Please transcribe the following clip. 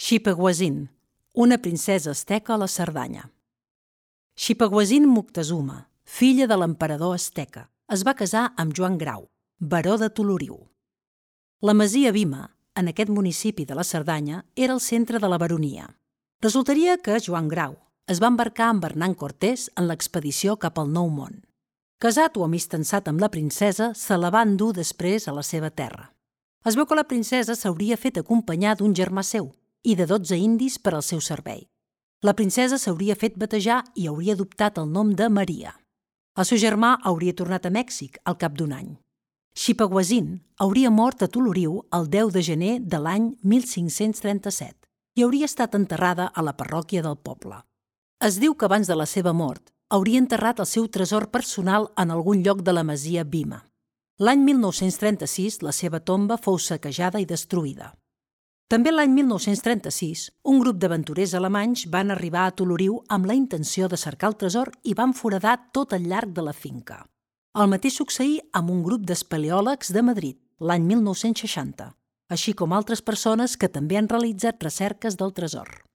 Xipaguazin, una princesa asteca a la Cerdanya. Xipaguazin Moctezuma, filla de l'emperador asteca, es va casar amb Joan Grau, baró de Toloriu. La masia Bima, en aquest municipi de la Cerdanya, era el centre de la baronia. Resultaria que Joan Grau es va embarcar amb Hernán Cortés en l'expedició cap al Nou Món. Casat o amistançat amb la princesa, se la va endur després a la seva terra. Es veu que la princesa s'hauria fet acompanyar d'un germà seu i de 12 indis per al seu servei. La princesa s'hauria fet batejar i hauria adoptat el nom de Maria. El seu germà hauria tornat a Mèxic al cap d'un any. Xipaguazin hauria mort a Toloriu el 10 de gener de l'any 1537 i hauria estat enterrada a la parròquia del poble. Es diu que abans de la seva mort hauria enterrat el seu tresor personal en algun lloc de la masia Bima. L'any 1936 la seva tomba fou saquejada i destruïda. També l'any 1936, un grup d'aventurers alemanys van arribar a Toloriu amb la intenció de cercar el tresor i van foradar tot el llarg de la finca. El mateix succeí amb un grup d'espeleòlegs de Madrid, l'any 1960, així com altres persones que també han realitzat recerques del tresor.